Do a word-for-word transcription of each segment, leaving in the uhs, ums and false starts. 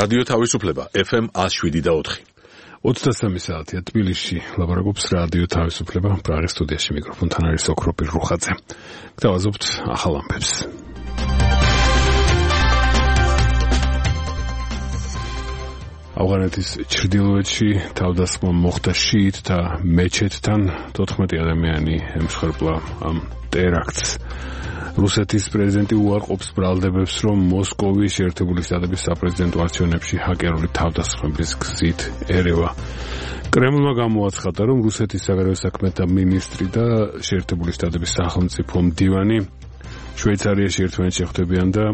რადიო თავისუფლება ეფ ემ one oh seven და four. ოცდასამი საათია თბილისში ლაპარაკობს რადიო თავისუფლება პრაღის სტუდიაში მიკროფონთან არის ოქროპირ რუხაძე. გთავაზობთ ახალ ამბებს. ავღანეთის ჩრდილოეთში თავდასხმა მოხდა შიიტთა მეჩეთთან, თოთხმეტი ადამიანი ემსხვერპლა ამ ტერაქტს. რუსეთის პრეზიდენტი უარყოფს ბრალდებებს, რომ მოსკოვის შეერთებული შტატების საპრეზიდენტო არჩევნებში ჰაკერული თავდასხმების გზით ერევა. კრემლმა გამოაცხადა, რომ რუსეთის საგარეო საქმეთა მინისტრი და შეერთებული შტატების სახელმწიფო მდივანი შვეიცარიაში ერთმანეთს შეხვდებიან და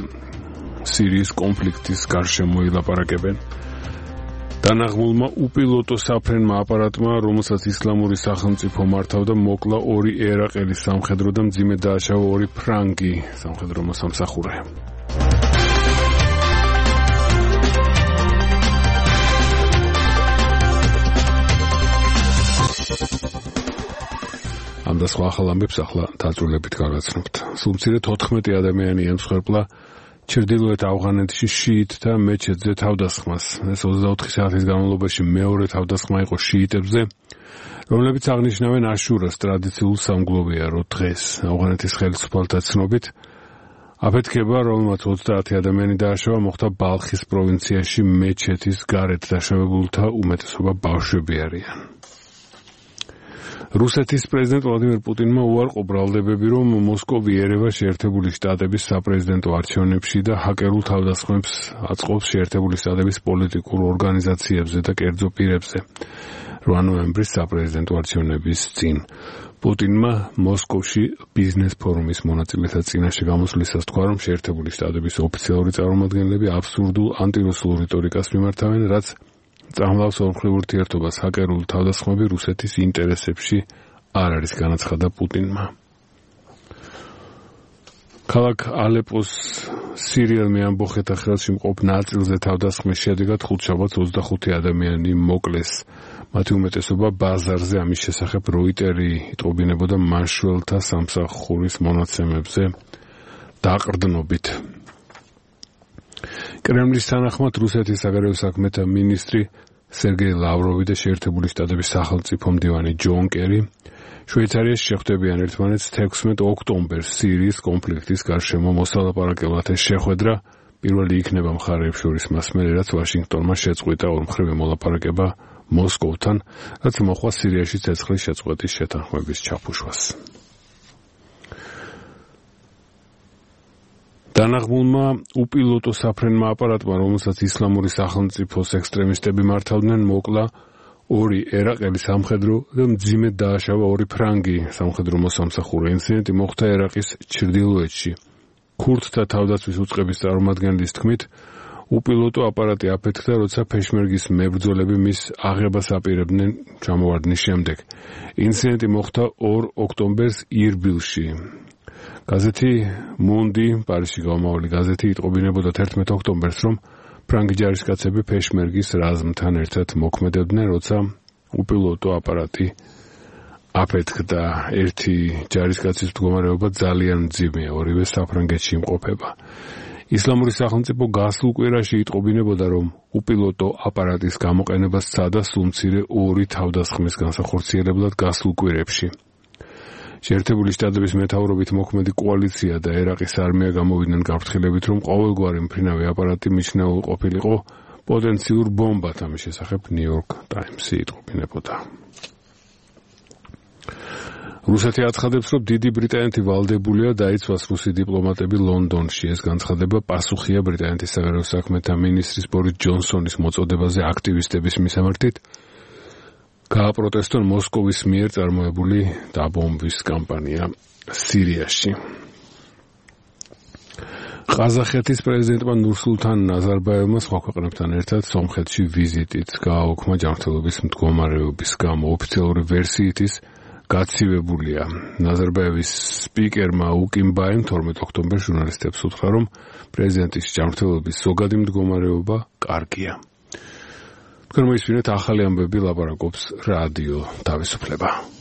სირიის კონფლიქტის გარშემო ილაპარაკებენ. დანაღმულმა უპილოტო საფრენმა აპარატმა, რომელსაც ისლამური სახელმწიფო მართავდა, მოკლა ორი ერაყელის სამხედრო და მძიმე დააშავა ორი ფრანგი სამხედრო მოსამსახურე. ამ და სხვა ახალ ამბებს ახლა დაწვრილებით გავაცნობთ. სულ მცირე თოთხმეტი ადამიანი ემსხვერპლა ჩრდილოეთ ავღანეთში შიიტთა მეჩეთზე თავდასხმას. ეს ოცდაოთხი საათის განმავლობაში მეორე თავდასხმა იყო შიიტებზე, რომლებიც აღნიშნავენ აშურას ტრადიციულ სამგლოვიარო დღეს. ავღანეთის ხელისუფალთა ცნობით, აფეთქება, რომელმაც ოცდაათი ადამიანი დააშავა, მოხდა ბალხის პროვინციაში მეჩეთის გარეთ. დაშავებულთა უმეტესობა ბავშვები არიან. რუსეთის პრეზიდენტ ვლადიმერ პუტინმა უარყო ბრალდებები, რომ მოსკოვი ერევა შეერთებული შტატების საპრეზიდენტო არჩევნებში და ჰაკერულ თავდასხმებს აწყობს შეერთებული შტატების პოლიტიკურ ორგანიზაციებზე და კერძო პირებზე. რვა ნოემბრის საპრეზიდენტო არჩევნების წინ პუტინმა მოსკოვში ბიზნეს ფორუმის მონაწილეთა წინაშე გამოსვლისას თქვა, რომ შეერთებული შტატების ოფიციალური წარმომადგენლები აბსურდულ ანტირუსულ რიტორიკას მიმართავენ, რაც წამლავს ორმხრივ ურთიერთობას. ჰაკერული თავდასხმები რუსეთის ინტერესებში არ არის, განაცხადა პუტინმა. ქალაქ ალეპოს სირიელმე ამბოხეთა ხელში მყოფ ნაწილზე თავდასხმის შედეგად ხუთშაბათს ოცდახუთი ადამიანი მოკლეს. მათი უმეტესობა ბაზარზე. ამის შესახებ როიტერი იტყობინებოდა მაშველთა სამსახურის მონაცემებზე დაყრდნობით. კრემლის თანახმად რუსეთის საგარეო საქმეთა მინისტრი სერგეი ლავროვი და შეერთებული შტატების სახელმწიფო მდივანი ჯონ კერი შვეიცარიაში შეხვდებიან ერთმანეთს თექვსმეტ ოქტომბერს სირიის კონფლიქტის გარშემო მოსალაპარაკებლად. ეს შეხვედრა პირველი იქნება მხარეებს შორის მას მერე, რაც ვაშინგტონმა შეწყვიტა ორმხრივი მოლაპარაკება მოსკოვთან, რაც მოჰყვა სირიაში ცეცხლის შეწყვეტის შეთანხმების ჩაფუშვას. დანაღმულმა უპილოტო საფრენმა აპარატმა, რომელსაც ისლამური სახელმწიფოს ექსტრემისტები მართავდნენ, მოკლა ორი ერაყელი სამხედრო და მძიმედ დააშავა ორი ფრანგი სამხედრო მოსამსახურე. ინციდენტი მოხდა ერაყის ჩრდილოეთში. ქურდთა თავდაცვის უწყების წარმომადგენლის თქმით, უპილოტო აპარატი აფეთქდა, როცა ფეშმერგის მებრძოლები მის აღებას აპირებდნენ ჩამოვარდნის შემდეგ. ინციდენტი მოხდა ორ ოქტომბერს ირბილში. გაზეთი მუნდი, პარიზში გამომავალი გაზეთი, იტყობინებოდა თერთმეტ ოქტომბერს, რომ ფრანგი ჯარისკაცები ფეშმერგის რაზმთან ერთად მოქმედებდნენ, როცა უპილოტო აპარატი აფეთქდა. ერთი ჯარისკაცის მდგომარეობა ძალიან მძიმეა, ორივე საფრანგეთში იმყოფება. ისლამური სახელმწიფო გასულ კვირაში იტყობინებოდა, რომ უპილოტო აპარატის გამოყენება სცადა სულ მცირე ორი თავდასხმის განსახორციელებლად გასულ კვირებში. შეერთებული შტატების მეთაურობით მოქმედი კოალიცია და ერაყის არმია გამოვიდნენ გაფრთხილებით, რომ ყოველგვარი მფრინავი აპარატი მიჩნეულ ყოფილიყო პოტენციურ ბომბად. ამის შესახებ ნიუ-იორკ ტაიმსი იტყობინებოდა. რუსეთი აცხადებს, რომ დიდი ბრიტანეთი ვალდებულია დაიცვას რუსი დიპლომატები ლონდონში. ეს განცხადება პასუხია ბრიტანეთის საგარეო საქმეთა მინისტრის ბორის ჯონსონის მოწოდებაზე აქტივისტების მისამართით გააპროტესტონ მოსკოვის მიერ წარმოებული დაბომბვის კამპანია სირიაში. ყაზახეთის პრეზიდენტმა ნურსულთან ნაზარბაევმა სხვა ქვეყნებთან ერთად სომხეთში ვიზიტით გააუქმა ჯანმრთელობის მდგომარეობის გამო. ოფიციალური ვერსიით ის გაცივებულია. ნაზარბაევის სპიკერმა უკიმბაემ თორმეტ ოქტომბერს ჟურნალისტებს უთხრა, რომ პრეზიდენტის ჯანმრთელობის ზოგადი მდგომარეობა კარგია. თქვენ მოისმინეთ ახალი ამბები, ლაპარაკობს რადიო თავისუფლება.